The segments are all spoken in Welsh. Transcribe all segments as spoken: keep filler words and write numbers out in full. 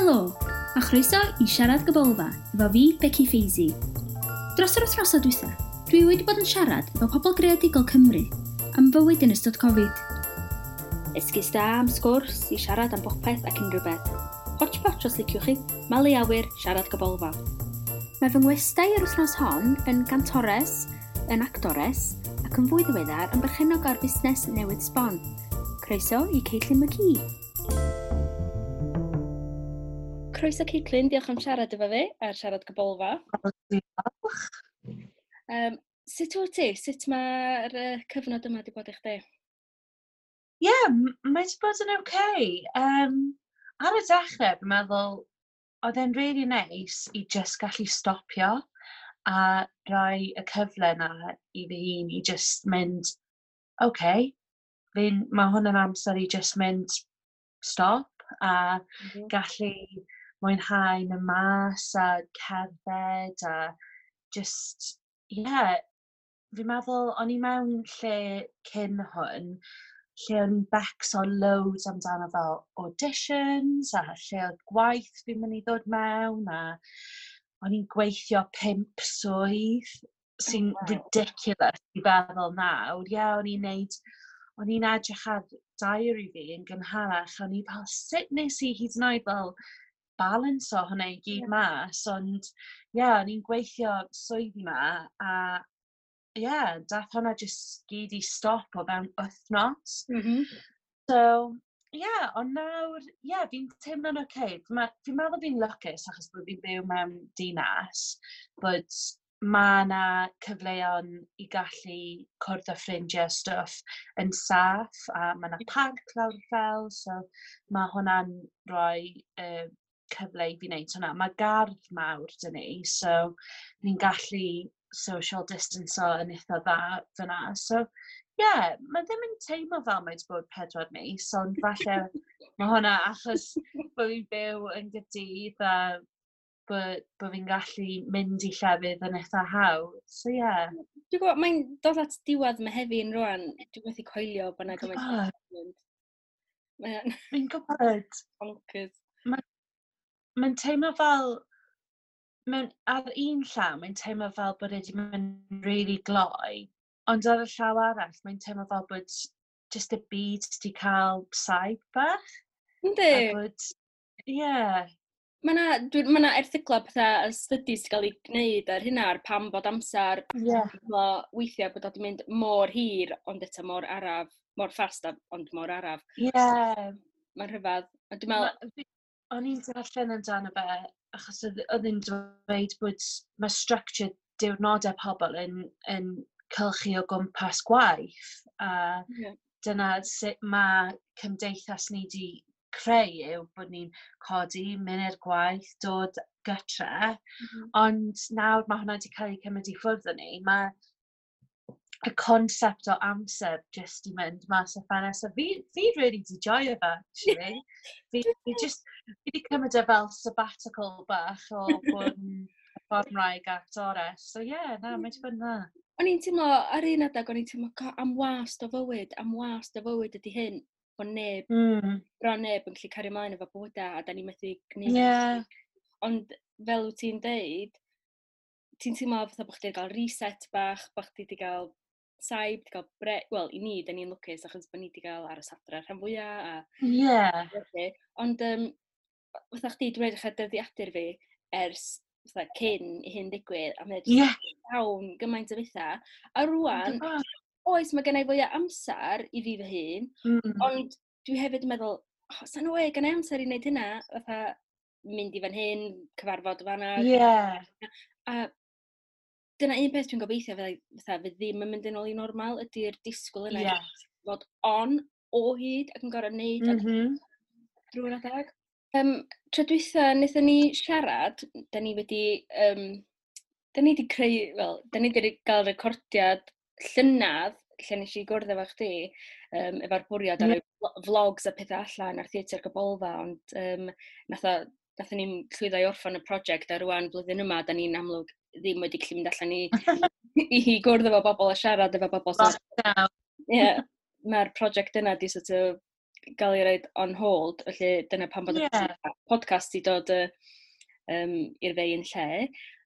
Helo, a chroeso i Siarad Gybolfa efo fi, Becky Feisy. Dros yr wythnosau dwytha, dwi wedi bod yn siarad efo pobl greadigol Cymru am fywyd yn ystod Covid. Esgus da am sgwrs i siarad am bopeth ac unrhyw beth. Hotchpotch os liciwch chi, malu awyr, Siarad Gybolfa. Mae fy ngwestai yr wythnos hon yn gantores, yn actores, ac yn fwy ddiweddar yn berchennog ar fusnes newydd sbon. Croeso i Caitlin McKee. Croeso Caitlin, diolch am siarad efo fi ar Siarad Gybolfa. Diolch. Um, sut wyt ti? Sut mae'r uh, cyfnod yma wedi bod i chdi? Ie, yeah, mae wedi bod yn oce. Um, ar y dechrau, fi'n meddwl, oedd e'n really nice i just gallu stopio a rhoi y cyfle na i fy hun i just mynd, oce, okay, fi'n, mae hwn yn amser i just mynd stop a mm -hmm. gallu mwynhau mynd mas a cerdded a just, yeah, fi'n meddwl o'n i mewn lle cyn hwn, lle o'n i'n becso loads amdano fel auditions a lle oedd gwaith fi'n mynd i ddod mewn a o'n i'n gweithio pump swydd sy'n oh, wow. ridiculous i feddwl nawr. Ie, yeah, o'n i'n neud, o'n i'n edrych ar diary fi yn gynharach, o'n i fel, sut nes i hyd yn oed fel balance o hwnna i gyd yeah. mas, ond ie, yeah, o'n i'n gweithio swyddi ma, a ie, yeah, dath hwnna just gyd i stop o fewn wythnos. Mm -hmm. So, ie, yeah, ond nawr, ie, yeah, fi'n teimlo'n oce. Okay. Fi'n meddwl fi'n lwcus achos bod fi'n byw mewn dinas, bod mae yna cyfleon i gallu cwrdd â ffrindiau stwff yn saff, a mae yna parc lawr y fel, so mae hwnna'n rhoi uh, cyfle i fi wneud hwnna. Mae gardd mawr 'da ni, so ni'n gallu social distance-o yn eitha dda fyna. So, ie, yeah, mae ddim yn teimlo fel mae wedi bod pedwar mis, ond falle mae hwnna achos bod fi'n byw yn Gaerdydd a bod, bod fi'n gallu mynd i llefydd yn eitha hawdd. So, ie. Yeah. Dwi'n gwybod, mae'n dod at diwedd Mehefin rwan. Dwi'n methu coelio bod yna gymaint. Mae'n... Fi'n gwybod. Bonkers. Mae'n mae teimlo fel, mewn, ar un llaw, mae'n teimlo fel bod e wedi mynd really gloi, ond ar y llaw arall, mae'n teimlo fel bod just y byd wedi cael saib bach. Yndi. A bod, ie. Yeah. Mae yna ma 'na erthyglau pethau a studies 'di cael eu gwneud ar hynna, ar pam bod amser yeah. weithiau bod o wedi mynd mor hir, ond eto mor araf, mor fast, ond mor araf. Ie. Yeah. Mae'n rhyfedd. A dwi'n meddwl... O'n i'n darllen amdano fe, achos oedd hi'n dweud bod mae structure diwrnodau pobl yn, yn cylchu o gwmpas gwaith, a yeah. dyna sut mae cymdeithas ni wedi creu yw bod ni'n codi, mynd i'r gwaith, dod gytre, mm -hmm. ond nawr mae hwnna wedi cael ei cymryd i ffwrdd o ni. Mae y concept o amser just i mynd mas o ffenest. A fi, fi really di joio fe, actually. Fi, fi just, fi di cymryd e fel sabbatical bach o bod yn perfformwraig actores. So yeah, na, mae wedi bod yn dda. O'n i'n teimlo, ar un adeg, o'n i'n teimlo, am wast o fywyd, am wast o fywyd ydy hyn, bod neb, mm. bron neb yn gallu cario ymlaen efo bywydau, a da ni'n methu gwneud. Yeah. Ond fel wyt ti'n deud, ti'n teimlo fatha bod chdi wedi cael reset bach, bod chdi wedi cael saib, wedi cael bre... Wel, i ni, da ni'n lwcus achos bod ni wedi cael aros adre rhan fwyaf. A... Yeah. Ond um, fatha chdi, dwi'n edrych ar dyddiadur fi ers fatha cyn i hyn ddigwydd, a mae'n yeah. llawn gymaint o bethau. A rwan, oes, mae gen i fwy o amser i fi fy hun, mm. ond dwi hefyd yn meddwl, oh, sa'n no way, gen i amser i wneud hynna, fatha mynd i fan hyn, cyfarfod fan'na. Yeah. A dyna un peth dwi'n gobeithio fyddai, fatha, fydd ddim yn mynd yn ôl i normal, ydy'r disgwyl yna yeah. fod on o hyd ac yn gorfod wneud mm -hmm. drwy'r adeg. Um, tro dwytha wnaethon ni siarad, da ni wedi, um, da ni wedi creu, wel, da ni wedi cael recordiad llynedd, lle nes i gwrdd efo chdi, um, efo'r bwriad ar mm. vlogs a pethau allan ar Theatr Gybolfa, ond um, nath o, nathon ni'n llwyddo i orffan y prosiect, a rwan blwyddyn yma, da ni'n amlwg ddim wedi gallu mynd allan i, i gwrdd efo bobl a siarad efo bobl. So, Lockdown. yeah, mae'r prosiect yna di sort of gael ei roid on hold, felly dyna pam bod yeah. y podcast i dod uh, um, i'r fei yn lle.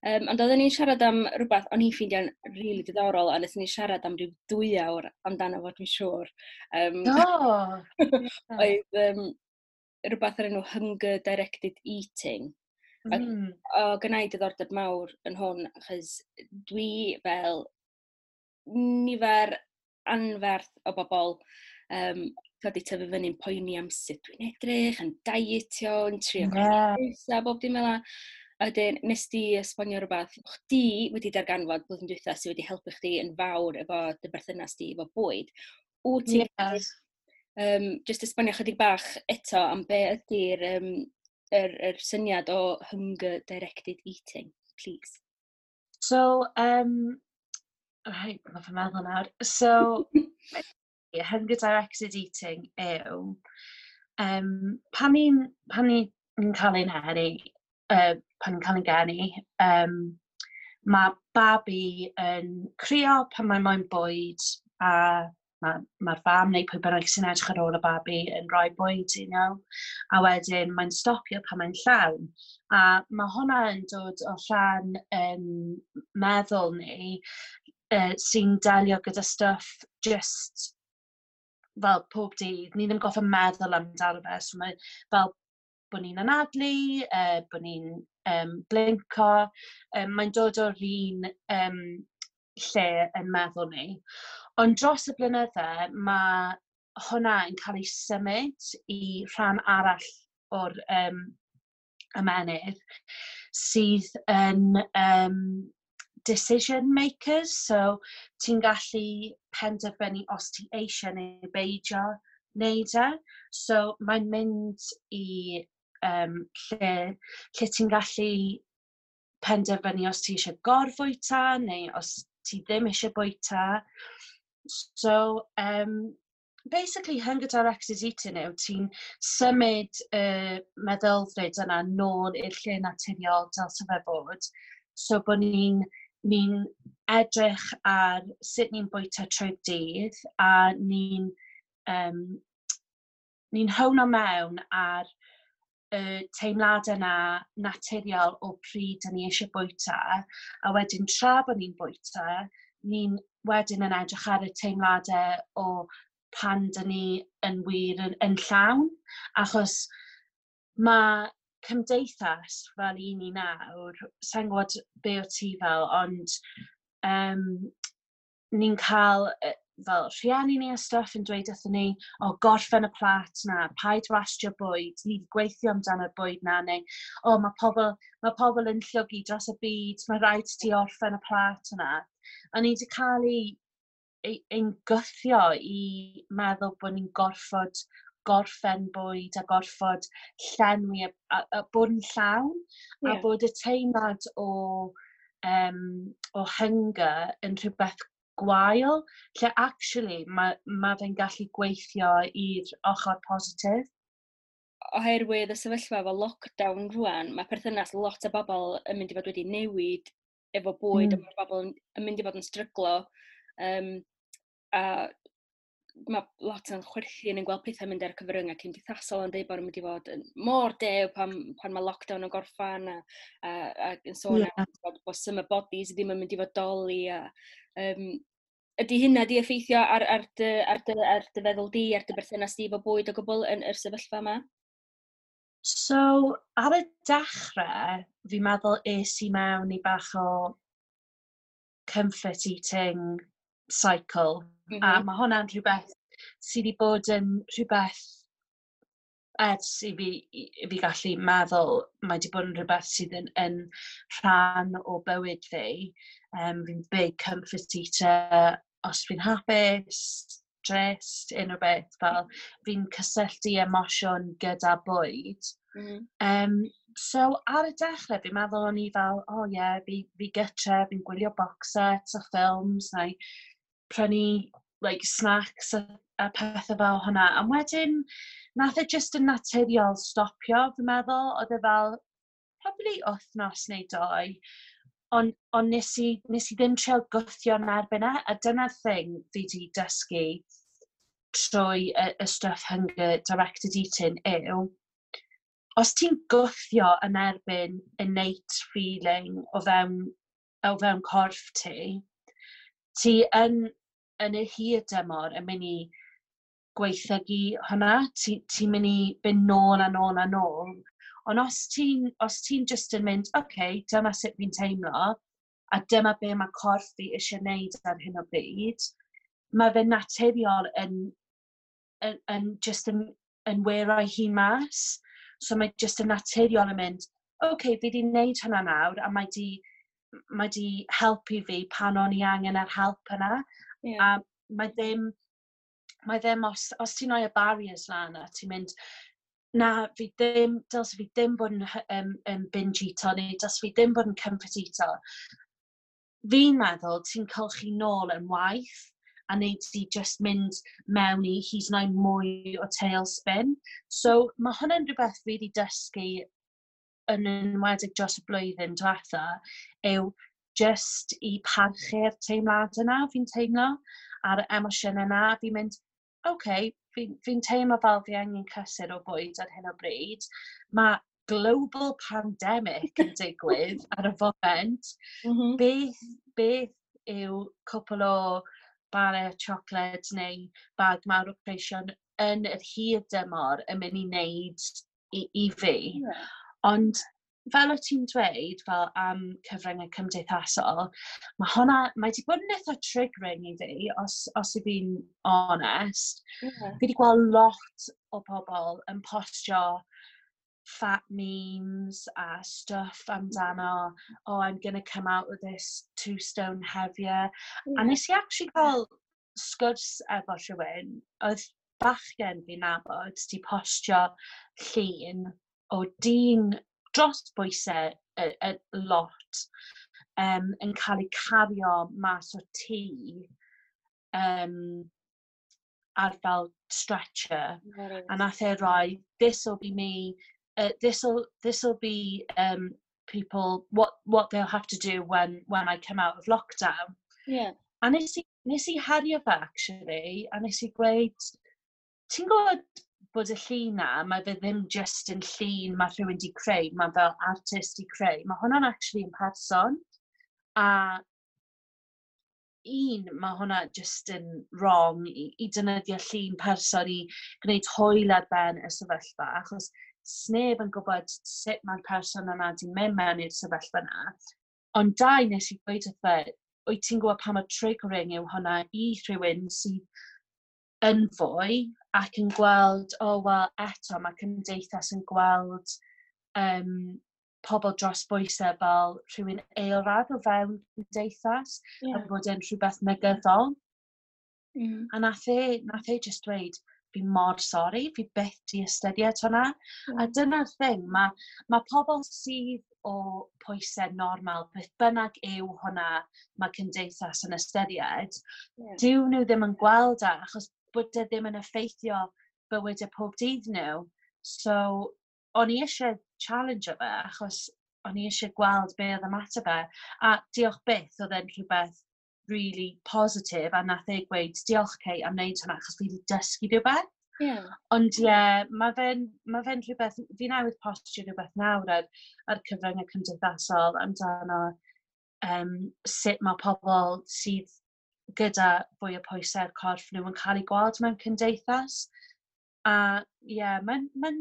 Um, ond oedden ni'n siarad am rhywbeth o'n i'n ffeindio'n rili really diddorol, a wnaethon ni siarad am ryw dwy awr amdano fo, dwi'n siŵr. Um, oh, oedd um, rhywbeth ar enw Hunger Directed Eating. Mm. O, gynna i diddordeb mawr yn hwn, achos dwi fel nifer anferth o bobl um, wedi tyfu fyny'n poeni am sut dwi'n edrych, yn dietio, yn trio yeah. pwysau, bob dim fel 'na. A wedyn, nes di esbonio rhywbeth, chdi wedi darganfod blwyddyn dwytha sydd wedi helpu chdi yn fawr efo dy berthynas di efo bwyd. Wyt ti'n yeah. um, just esbonio chydig bach eto am be ydy'r um, yr, yr syniad o hunger directed eating, please? So, um, right, mae fy meddwl nawr. So, hunger directed eating yw, um, pan ni'n pan ni'n cael ein eni, uh, pan ni'n cael ein geni, um, mae babi yn crio pan mae moyn bwyd a mae'r ma fam neu pwy bynnag sy'n edrych ar ôl y babi yn rhoi bwyd i nhw. A wedyn mae'n stopio pan mae'n llawn. A mae hwnna yn dod o rhan yn meddwl ni uh, sy'n delio gyda stuff just fel pob dydd. Ni ddim gorfod meddwl amdano fe. So mae fel bod ni'n anadlu, uh, bod ni'n um, blinko. Um, mae'n dod o'r un um, lle yn meddwl ni. Ond dros y blynydde, mae hwnna yn cael ei symud i rhan arall o'r um, ymennydd sydd yn um, decision makers. So ti'n gallu penderfynu os ti eisiau neu beidio wneud e. So mae'n mynd i um, lle, lle ti'n gallu penderfynu os ti eisiau gorfwyta neu os ti ddim eisiau bwyta. So, um, basically, hunger directed eating yw ti'n symud y uh, meddylfryd yna nôl i'r lle naturiol dylse fe fod. So bod ni'n ni edrych ar sut ni'n bwyta trwy'r dydd a ni'n um, ni'n howno mewn ar y teimladau yna naturiol o pryd dyn ni eisiau bwyta, a wedyn tra bod ni'n bwyta, ni'n wedyn yn edrych ar y teimladau o pan dyn ni yn wir yn, yn llawn, achos mae cymdeithas fel un ni nawr, sa'n gwybod be o ti fel, ond um, ni'n cael fel rhieni ni a stuff yn dweud wrthyn ni, "O, gorffen y plat na, paid wastio bwyd, ni wedi gweithio amdano'r bwyd na," neu, "O, mae pobl, mae pobl yn llwgu dros y byd, mae rhaid ti orffen y plat yna." A ni wedi cael ei, ei, ein gwthio i meddwl bod ni'n gorfod gorffen bwyd a gorfod llenwi a, a, a bod yn llawn yeah. a bod y teimlad o, um, o hunger yn rhywbeth gwael, lle actually mae, ma fe'n gallu gweithio i'r ochr positif. Oherwydd y sefyllfa efo lockdown rwan, mae perthynas lot o bobl yn mynd i fod wedi newid efo bwyd, mm. a mae bobl yn, yn mynd i fod yn stryglo. Um, a mae lot yn chwerthin yn gweld pethau mynd ar y cyfryngau cymdeithasol yn dweud bod nhw'n mynd i fod yn mor dew pan, pan mae lockdown yn gorffan a, a, a yn sôn Ie. am bod, bod summer bodies ddim yn mynd i fodoli a um, ydy hynna di effeithio ar, ar, dy, ar, dy, ar dy feddwl di, ar dy berthynas di efo bwyd o gwbl yn yr sefyllfa yma? So, ar y dechrau, fi'n meddwl es i mewn i bach o comfort eating cycle. Mm A -hmm. mae hwnna'n rhywbeth sydd wedi bod yn rhywbeth ers i fi, i, i fi gallu meddwl, mae wedi bod yn rhywbeth sydd yn, yn rhan o bywyd fi. Um, fi'n big comfort eater. Os fi'n hapus, drist, unrhyw beth, fel fi'n cysylltu emosiwn gyda bwyd. Mm -hmm. Um, so ar y dechrau, fi'n meddwl o'n i fel, "Oh yeah, fi, fi gytre, fi'n gwylio box sets a ffilms, neu prynu like, snacks a, a pethau fel hwnna." A wedyn, nath e just yn naturiol stopio, fi'n meddwl. Oedd e fel, probably wythnos neu doi. Ond on nes, i, nes i ddim trio gwthio yn erbyn e, a dyna'r thing fi wedi dysgu. trwy y, y stuff hunger directed eating yw, os ti'n gwthio yn erbyn innate feeling o fewn, o fewn corff ti, ti yn, yn y hir dymor yn mynd i gwaethygu hwnna, ti'n ti mynd i fynd nôl a nôl a nôl. Ond os ti'n os ti'n just yn mynd, "Oce, okay, dyma sut fi'n teimlo, a dyma be mae corff fi eisiau gwneud ar hyn o bryd," mae fe'n naturiol yn, yn, yn just yn, yn wearoi hun mas. So mae just yn naturiol yn mynd, "Oce, okay, fi wedi gwneud hwnna nawr, a mae di, mae di helpu fi pan o'n i angen yr help yna." Yeah. A mae ddim, mae ddim os, os ti'n rhoi y barriers lan a ti'n mynd, "Na, fi ddim, dylse fi ddim bod yn, um, yn binge eato neu dylse fi ddim bod yn comfort eato." Fi'n meddwl ti'n cylchu nôl yn waith a wneud ti just mynd mewn i hyd yn oed mwy o tailspin. So mae hwnna'n rhywbeth fi wedi dysgu yn enwedig dros y blwyddyn diwetha, yw just i parchu'r teimlad yna fi'n teimlo, a'r emosiwn yna. Fi'n mynd, "Oce, okay, fi'n fi teimlo fel fi angen cysur o bwyd ar hyn o bryd. Mae global pandemic yn digwydd ar y foment. Mm -hmm. Beth, beth yw cwpl o bare chocolate neu bag mawr o creision yn yr hir dymor yn mynd i wneud i, i fi?" Yeah. Ond fel o ti'n dweud, fel am cyfryngau cymdeithasol, mae hwnna, mae wedi bod yn eitha triggering i fi, os, os i fi'n honest. Yeah. Fi wedi gweld lot o pobl yn postio fat memes a stuff amdano, "Oh, I'm gonna come out with this two stone heavier." Yeah. A nes i actually cael sgwrs efo rhywun, oedd bachgen fi'n nabod, di postio llun o dyn dros bwysau y, y lot um, yn cael ei cario mas o tŷ um, ar fel stretcher. Right. A nath e roi, "This'll be me, uh, this'll, this'll be um, people, what, what they'll have to do when, when I come out of lockdown." Yeah. A nes i, nes i herio fe, actually, a nes i gweud, "Ti'n gwybod bod y llun na, mae fe ddim just yn llun mae rhywun di creu, mae fel artist di creu. Mae hwnna'n actually yn person." A un, mae hwnna just yn wrong i, i defnyddio llun person i gwneud hwyl ar ben y sefyllfa, achos sneb yn gwybod sut mae'r person yna di mynd mewn i'r sefyllfa yna. Ond dau, nes i gweud wrth fe, "Wyt ti'n gwybod pa mor triggering yw hwnna i rhywun sydd yn fwy ac yn gweld, oh, wel, eto mae cymdeithas yn gweld um, pobl dros bwysau fel rhywun eilradd o fewn cymdeithas yeah. a bod e'n rhywbeth negyddol." Mm. A nath e, nath e just dweud, "Fi mor sori, fi byth di ystyried hwnna." Mm. A dyna'r thing, mae ma pobl sydd o pwysau normal, beth bynnag yw hwnna mae cymdeithas yn ystyried, yeah. dyw nhw ddim yn gweld e, achos bod e ddim yn effeithio bywydau pob dydd nhw. So, o'n i eisiau challenge o fe, achos o'n i eisiau gweld be oedd ymateb e. A diolch byth, oedd e'n rhywbeth really positif, a nath e gweud, "Diolch, Kate, am wneud hwnna, achos fi wedi dysgu rhywbeth." Yeah. Ond ie, yeah, mae fe'n ma fe rhywbeth, fi newydd postio rhywbeth nawr ar, ar cyfryngau cymdeithasol amdano um, sut mae pobl sydd gyda fwy o pwysau'r corff nhw yn cael eu gweld mewn cymdeithas. A ie, yeah, mae'n ma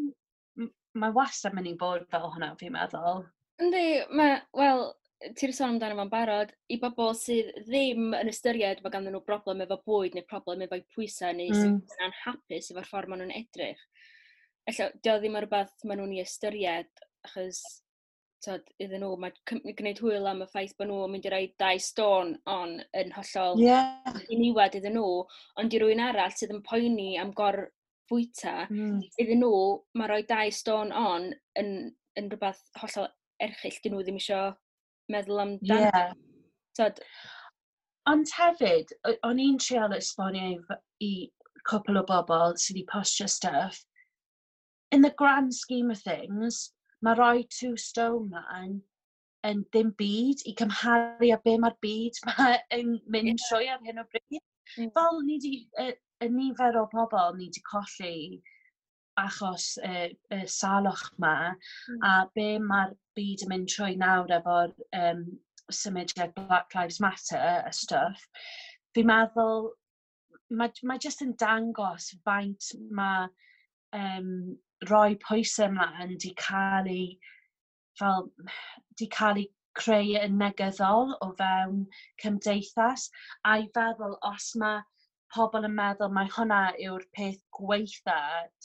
mae wastad mynd i bod fel hwnna, fi'n meddwl. Yndi, mae, wel, ti'n sôn amdano fo'n barod, i bobl sydd ddim yn ystyried bod ganddyn nhw broblem efo bwyd neu problem efo'u pwysau neu mm. sydd yn anhapus efo'r ffordd maen nhw'n edrych. Ella, dio ddim yn rhywbeth maen nhw'n ei ystyried, achos tod, iddyn nhw, mae gwneud hwyl am y ffaith bod nhw'n mynd i roi dau stone on yn hollol yeah. ddiniwed iddyn nhw, ond i rywun arall sydd yn poeni am gorfwyta, mm. iddyn nhw, mae rhoi dau stone on yn, yn rhywbeth hollol erchyll, dyn nhw ddim eisiau meddwl amdano. Yeah. Tod, Ond hefyd, o'n i'n trial esbonio i, i cwpl o bobl sydd wedi postio stuff. In the grand scheme of things, mae rhoi two stone lan yn ddim byd i cymharu â be mae'r byd ma yn mynd yeah. trwy ar hyn o bryd. Mm. Fel ni di, uh, y nifer o bobl ni wedi colli achos y, y salwch ma, mm. a be mae'r byd yn mynd trwy nawr efo'r um, symudiad Black Lives Matter a stuff, fi'n meddwl mae, mae jyst yn dangos faint mae um, rhoi pwysau ymlaen di cael ei fel, di cael ei creu yn negyddol o fewn cymdeithas, a i feddwl os mae pobl yn meddwl mai hwnna yw'r peth gweitha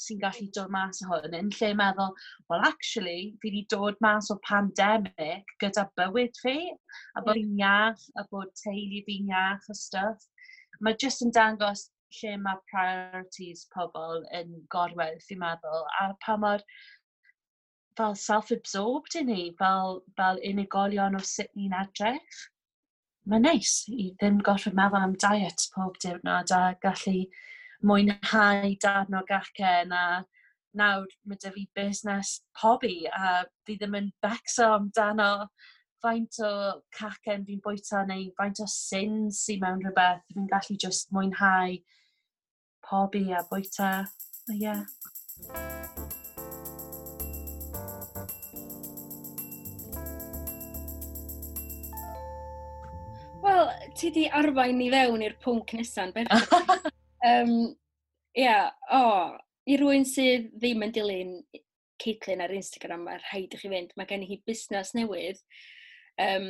sy'n gallu dod mas o hwn, yn lle meddwl, well actually, fi wedi dod mas o pandemic gyda bywyd fi, a bod fi'n iach, a bod teulu fi'n iach a stuff. Mae jyst yn dangos lle mae priorities pobl yn gorwedd, fi'n meddwl, a pa mor fel self-absorbed i ni, fel, fel unigolion o sut ni'n edrych. Mae'n neis i ddim gorfod meddwl am diet pob diwrnod a gallu mwynhau darn o gacen, a nawr mae 'da fi busnes pobi a fi ddim yn becso amdano faint o cacen fi'n bwyta neu faint o sins sy'n mewn rhywbeth. Fi'n gallu just mwynhau pobi a bwyta. Yeah. Wel, ti di arwain ni fewn i'r pwnc nesa'n berffaith. um, ia, o, oh, i rywun sydd ddim yn dilyn Caitlin ar Instagram, mae rhaid i chi fynd. Mae gen hi busnes newydd, um,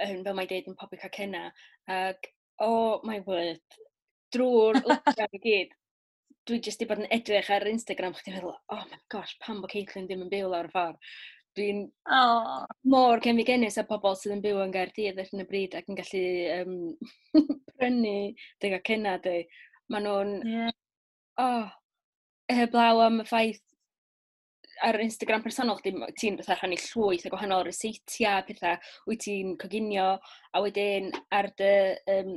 yn, fel mae'n deud, yn pobi cacenna. Ac, oh my word, drwy'r lockdown i gyd, dwi jyst 'di bod yn edrych ar Instagram, chdi'n meddwl, oh my gosh, pam bod Caitlin ddim yn byw lawr y ffordd. Dwi'n oh. mor cenfigennus â pobl sydd yn byw yn Gaerdydd ar hyn o bryd ac yn gallu um, prynu dy gacenna di. Maen nhw'n... Yeah. Oh, heblaw am y ffaith ar Instagram personol chdi, ti'n fatha rhannu llwyth o gwahanol ryseitiau, pethau wyt ti'n coginio, a wedyn ar dy um,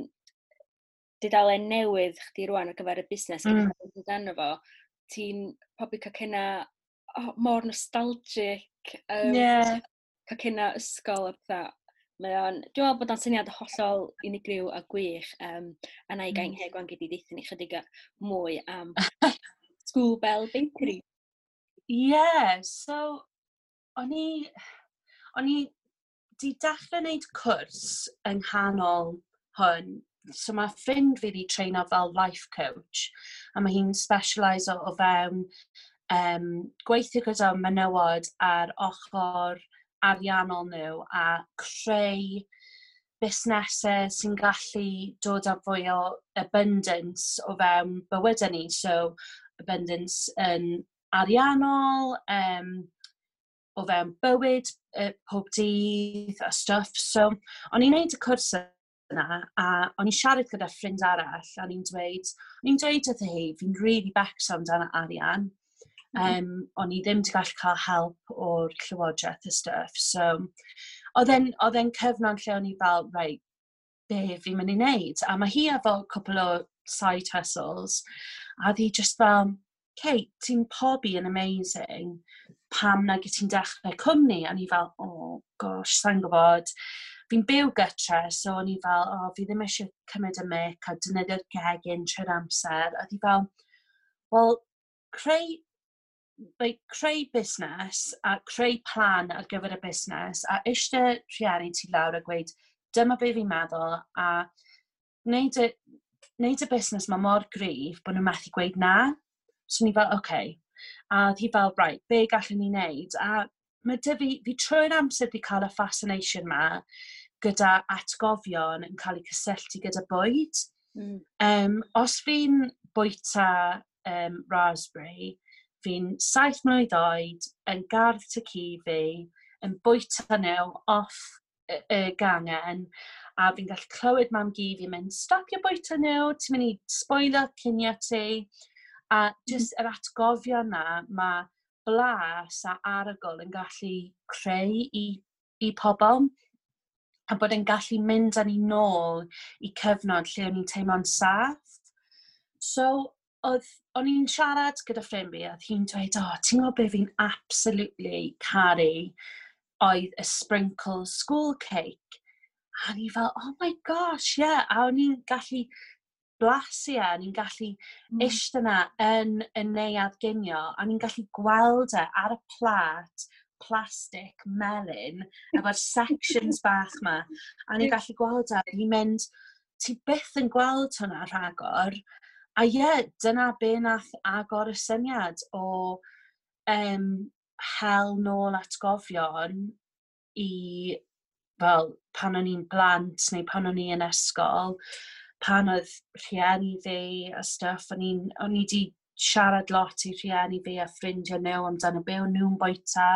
dudalen newydd chdi rwan ar gyfer y busnes mm. amdano fo, ti'n pobi cacenna oh, mor nostalgic, um, yeah. cacenna ysgol a pethau. Mae o'n, dwi'n meddwl bod o'n syniad hollol unigryw a gwych, um, a na i gael mm. heg wan gyd i ddeithio ni chydig mwy am School Bell Bakery. Yeah, so o'n i, o'n i di dechrau wneud cwrs yng nghanol hwn. So mae ffrind fi wedi treino fel life coach, a mae hi'n specialise o fewn um, gweithio gyda menywod ar ochr ariannol nhw a creu busnesau sy'n gallu dod â fwy o abundance o fewn bywydau ni. So abundance yn ariannol, um, o fewn bywyd, uh, pob dydd a stuff. So o'n i'n neud y cwrs yna a o'n i'n siarad gyda ffrind arall a o'n i'n dweud, o'n i'n dweud wrtho hi, fi'n really becso amdano arian. Um, o'n i ddim wedi gallu cael help o'r llywodraeth a stuff. So, oedd e'n cyfnod lle o'n i fel, right, be fi'n mynd i wneud? A mae hi efo cwpl o side hustles, a oedd hi just fel, Kate, ti'n pobi yn amazing, pam nag ti'n dechrau cwmni? A ni fel, oh gosh, sa'n gwybod. Fi'n byw gytre, so o'n i fel, oh, fi ddim eisiau cymryd y mic a defnyddio'r gegin trwy'r amser. A oedd hi fel, well, creu, like, creu busnes a creu plan ar gyfer y busnes a eistedd rhieni ti lawr a gweud, dyma be fi'n meddwl, a wneud y, wneud y busnes ma mor gryf bod nhw'n methu gweud na. So ni fel, oce. Okay. A oedd hi fel, right, be gallwn ni wneud? A mae dy fi, fi trwy'r amser wedi cael y fascination ma gyda atgofion yn cael eu cysylltu gyda bwyd. Mm. Um, os fi'n bwyta um, raspberry, fi'n saith mlwydd oed, yn gardd tŷ ci fi, yn bwyta nhw off y, y gangen, a fi'n gallu clywed mam gi fi'n mynd, stopio bwyta nhw, ti'n mynd i spoilio cinio ti. A jyst yr atgofion na, mae blas a arogl yn gallu creu i, i pobl, a bod yn gallu mynd â ni nôl i cyfnod lle o'n i'n teimlo'n saff. So, oedd, o'n i'n siarad gyda ffrind fi, oedd hi'n dweud, oh, ti'n gwybod be fi'n absolutely caru oedd y sprinkle school cake. A o'n i fel, oh my gosh, yeah. A o'n i'n gallu Blasu e, ni'n gallu mm. eistedd yna yn y neuadd ginio, a ni'n gallu gweld e ar y plât plastig melyn, efo'r sections bach ma, a ni'n gallu gweld e, ni'n mynd, ti byth yn gweld hwnna rhagor. A ie, yeah, dyna be nath agor y syniad o um, hel nôl atgofion i fel pan o'n i'n blant neu pan o'n i yn ysgol, pan oedd rhieni fi a stuff, o'n i'n o'n i 'di siarad lot i rhieni fi a ffrindiau nhw amdano be o'n nhw'n bwyta.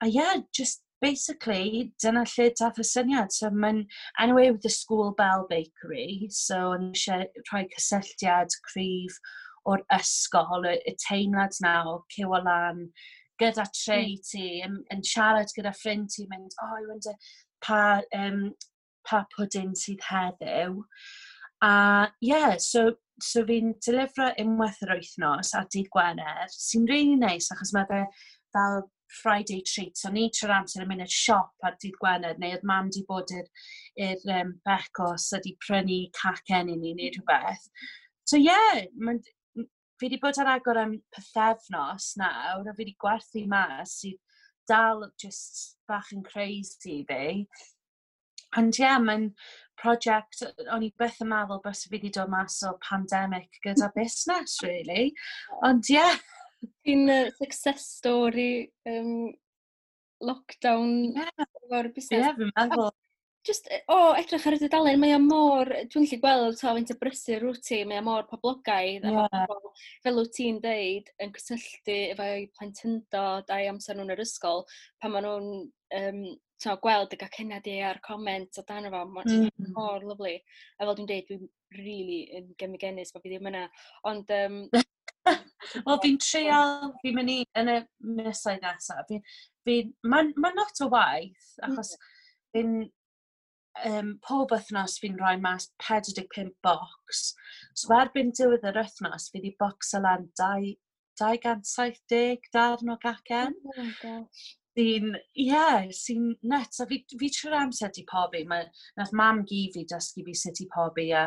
A yeah, just basically, dyna lle dath y syniad. So mae'n, anyway, with the School Bell Bakery, so o'n i eisiau rhoi cysylltiad cryf o'r ysgol, y, y teimlad na o ciwio lan gyda tray mm. ti, yn, yn siarad gyda ffrind ti, mynd, "Oh, I wonder pa, um, pa pwdin sydd heddiw." A yeah, so, so fi'n delifro unwaith yr wythnos ar dydd Gwener, sy'n really nice achos mae fe fel Friday treat. So ni trwy'r amser yn mynd i'r siop ar dydd Gwener, neu oedd mam di bod i'r, i'r um, becos a di prynu cacen i ni neu rhywbeth. So yeah, mae'n, fi wedi bod ar agor am pythefnos nawr, a fi wedi gwerthu mas sydd dal just bach yn crazy i fi. Ond ie, yeah, mae'n prosiect, o'n i byth yn meddwl bys fi wedi dod mas o pandemic gyda busnes, really. Ond ie. Yeah. Ti'n uh, success story um, lockdown yeah. efo'r busnes. Ie, yeah, fi'n meddwl. Just, o, oh, edrych ar y dudalen, mae o mor, dwi'n gallu gweld ta faint o brysur wyt ti, mae o mor poblogaidd, yeah. a pobl, fel wyt ti'n deud, yn cysylltu efo'u plentyndod a'i amser nhw'n yr ysgol, pan maen nhw'n um, to, gweld y gacennau di a'r comment o dan fo, mae'n mm. mor lyfli. A fel dwi'n deud, dwi'n really yn genfigennus bod fi ddim yna. Ond, um, Wel, fi'n treial, fi'n mynd i, yn y misoedd nesaf, fi, fi, mae'n ma lot o waith, achos mm. fi'n, um, pob wythnos fi'n rhoi mas pedwar deg pump box. So erbyn diwedd yr wythnos, fi wedi boxo lan dau gant saith deg darn o gacen. Oh my gosh. Sy'n, ie, yeah, sy'n nuts. A fi, fi trwy'r amser di pobi. Mae, nath mam gi fi dysgu fi sut i pobi a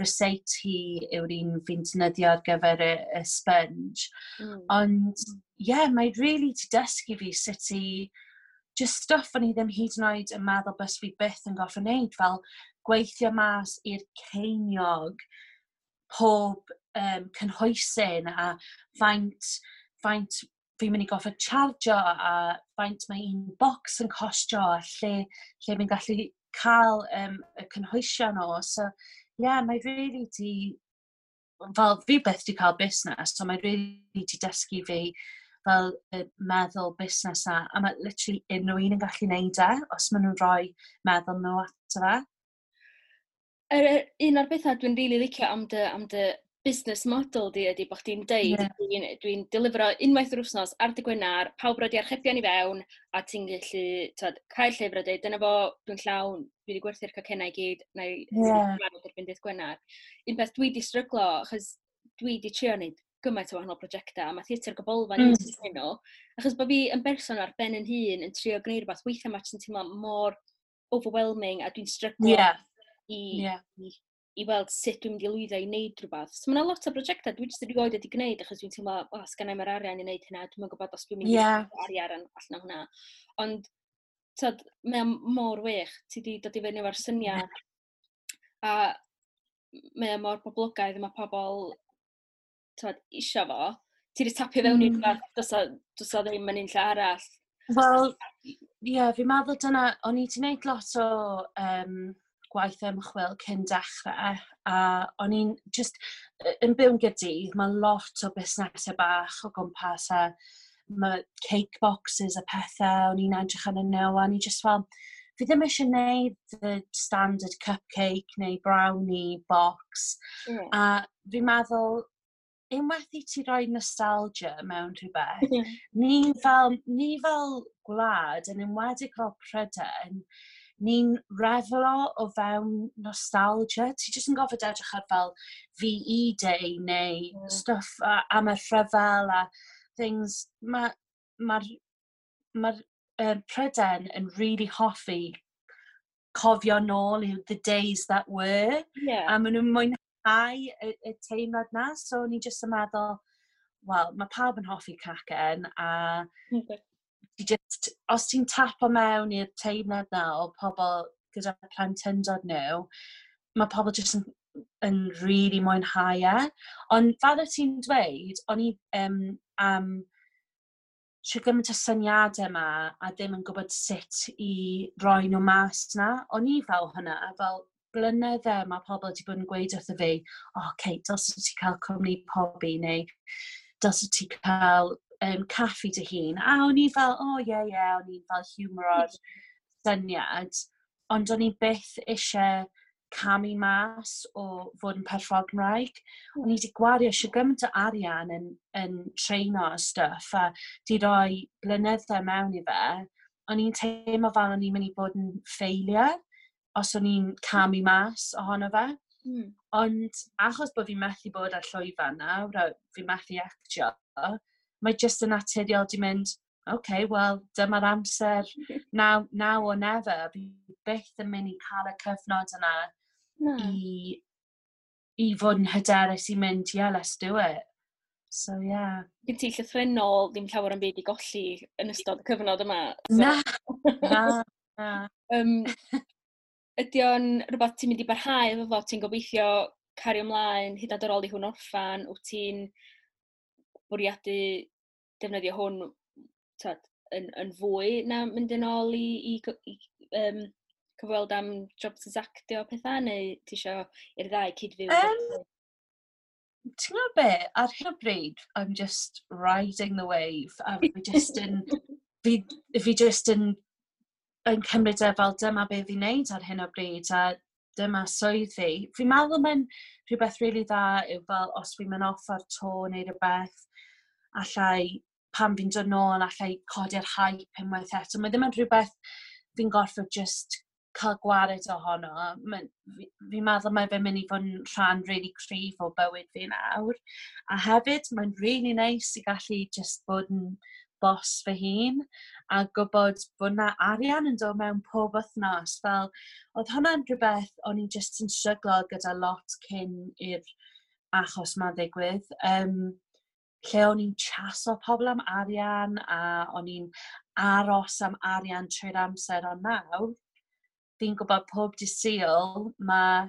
ryseit hi yw'r un fi'n defnyddio ar gyfer y, y sponge. Mm. Ond, ie, yeah, mae really di dysgu fi sut i just stuff o'n i ddim hyd yn oed yn meddwl bys fi byth yn gorfod wneud, fel gweithio mas i'r ceiniog pob um, cynhwysyn a faint, faint fi'n mynd i gorfod chargio a faint mae un box yn costio a lle, lle fi'n gallu cael um, y cynhwysion o. So, yeah, mae really di, fel fi byth di cael busnes, so mae really di dysgu fi fel y meddwl busnes na, a mae literally unrhyw un yn gallu neud e, os maen nhw'n rhoi meddwl nhw ato fe. Yr, yr, un o'r bethau dwi'n rili really licio am dy, am dy business model di ydy bod chdi'n deud, Ie. dwi'n dwi delifro unwaith yr wythnos ar dy Gwener, pawb roi archebion i fewn, a ti'n gallu t'od, cael llyfr a deud, "Dyna fo, dwi'n llawn, dwi wedi gwerthu'r cacennau i gyd, na i Ie. barod erbyn dydd Gwener." Un peth dwi wedi stryglo, achos dwi wedi trio wneud gymaint o wahanol prosiectau, a mae Theatr Gybolfa Mm. mm. nhw, achos bod fi yn berson ar ben yn hun yn trio gwneud rhywbeth, weithiau mae jyst yn teimlo mor overwhelming, a dwi'n stryglo Ie, i, ie. i, i weld sut dwi'n mynd i lwyddo i wneud rhywbeth. So mae yna lot o brosiectau dwi jyst erioed wedi gwneud achos dwi'n teimlo, "O, oh, sgynna i'm yr arian i wneud hynna, dwi'm yn gwybod os dwi'n mynd i Ie. arian allan o hwnna." Ond, tyd, mae o mor wych, ti wedi dod i fyny efo'r syniad, a mae o mor boblogaidd, mae pobl tyd, isio fo. Ti wedi tapio fewn i Mm. rhywbeth, does o, does o ddim yn un lle arall. Wel, ie, yeah, fi'n meddwl dyna, o'n i wedi gwneud lot o um, gwaith ymchwil cyn dechrau, a o'n i'n just, yn byw yn Gaerdydd, mae lot o busnesau bach o gwmpas a mae cake boxes a pethau, o'n i'n edrych arnyn nhw, a o'n i just fel, fi ddim eisiau gwneud the standard cupcake neu brownie box, Yeah. a fi'n meddwl, unwaith i ti roi nostalgia mewn rhywbeth, ni fel, ni fel gwlad, yn enwedig fel Prydain, ni'n reflo o fewn nostalgia. Ti jyst yn gorfod edrych ar fel V E Day neu Ie. stuff a, am y rhyfel a things. Mae'r ma, ma, ma Prydain yn really hoffi cofio nôl i the days that were. Yeah. A maen nhw'n mwynhau mwynhau y, y teimlad na, so o'n i jyst yn meddwl, wel, mae pawb yn hoffi cacen, a okay. Just, os ti'n tapo mewn i'r teimlad na o pobl gyda plentyndod nhw, mae pobl jyst yn, yn really mwynhau e. Ond fel y ti'n dweud, o'n i um, am trwy gymaint o syniadau yma a ddim yn gwybod sut i roi nhw mas na. O'n i fel hwnna, fel blynyddau mae pobl wedi bod yn gweud wrtho fi, "O, oh, Kate, dylse ti cael cwmni pobi," neu "dylse ti cael um, caffi dy hun." A o'n i fel, "O, oh, ie, yeah, ie, yeah," o'n i'n fel humour syniad. Ond o'n i byth eisiau camu mas o fod yn perfformwraig. O'n i wedi gwario eisiau gymaint o arian yn, yn treino a stuff, a di roi blynyddau mewn i fe. O'n i'n teimlo fel o'n i'n mynd i bod yn failure os o'n i'n camu mas ohono fe. Mm. Ond achos bod fi'n methu bod ar llwyfan nawr, fi'n methu actio, mae jyst yn naturiol di mynd, "OK, wel, dyma'r amser, now, now or never." Fi byth yn mynd i cael y cyfnod yna no. i, i fod yn hyderus i mynd, "Yeah, let's do it." So, yeah. Gen ti llythrenol ddim llawer yn byd i golli yn ystod y cyfnod yma. So. Na, na, na. um, ydy o'n rhywbeth ti'n mynd i barhau efo fo? Ti'n gobeithio cario ymlaen hyd yn oed ar ôl i hwn orffan? Wyt ti'n bwriadu defnyddio hwn, tyd, yn, yn fwy na mynd yn ôl i, i, i um, cyfweld am jobs as actio pethau, neu ti isio i'r ddau cydfyw? Um, ti'n gwybod be, ar hyn o bryd, I'm just riding the wave. A fi just yn, fi, fi just yn, yn cymryd e fel dyma be fi'n neud ar hyn o bryd, a dyma swydd fi. Fi'n meddwl mae'n rhywbeth really dda yw fel os fi'n mynd off ar tour neu rhywbeth, allai, pan fi'n dod nôl, allai codi'r hype unwaith eto. Mae ddim yn rhywbeth fi'n gorfod just cael gwared ohono. Fi'n fi meddwl mae fe'n mynd i fod yn rhan really cryf o bywyd fi nawr. A hefyd, mae'n really nice i gallu just bod yn boss fy hun a gwybod bod na arian yn dod mewn pob wythnos. Fel, oedd hwnna'n rhywbeth o'n i just yn stryglo gyda lot cyn i'r achos ma'n ddigwydd. Um, lle o'n i'n chaso pobl am arian a o'n i'n aros am arian trwy'r amser, ond nawr, fi'n gwybod pob dydd Sul mae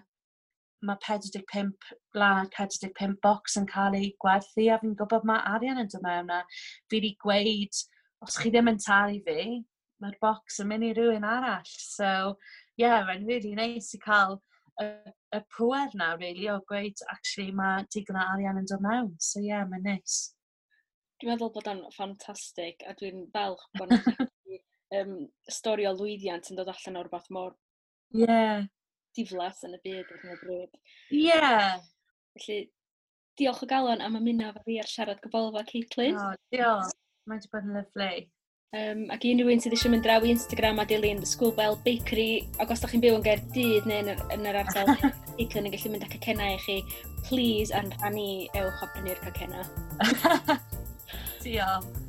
mae pedwar deg pump lan pedwar deg pump box yn cael ei gwerthu a fi'n gwybod mae arian yn dod mewn a fi wedi gweud, os chi ddim yn talu fi, mae'r box yn mynd i rywun arall. So, yeah, mae'n really nice i cael y, y pwer na, really, o gweud, actually, mae digon o arian yn dod mewn. So, yeah, mae'n nice. Dwi'n meddwl bod o'n ffantastig a dwi'n falch bod um, stori o lwyddiant yn dod allan o'r rhywbeth mor yeah. diflas yn y byd ar hyn o bryd. Yeah. Felly, diolch o galon am ymuno efo fi ar Siarad Gybolfa, Caitlin. Oh, diolch. Mae wedi bod yn lyfli. Um, ac i unrhyw un sydd eisiau mynd draw i Instagram a dilyn The School Bell Bakery, ac os da chi'n byw yn Gaerdydd neu yn yr, yn yr ardal, Caitlin yn gallu mynd â cacennau i chi, please, ar rhan i, ewch a prynu'r cacennau. Diolch.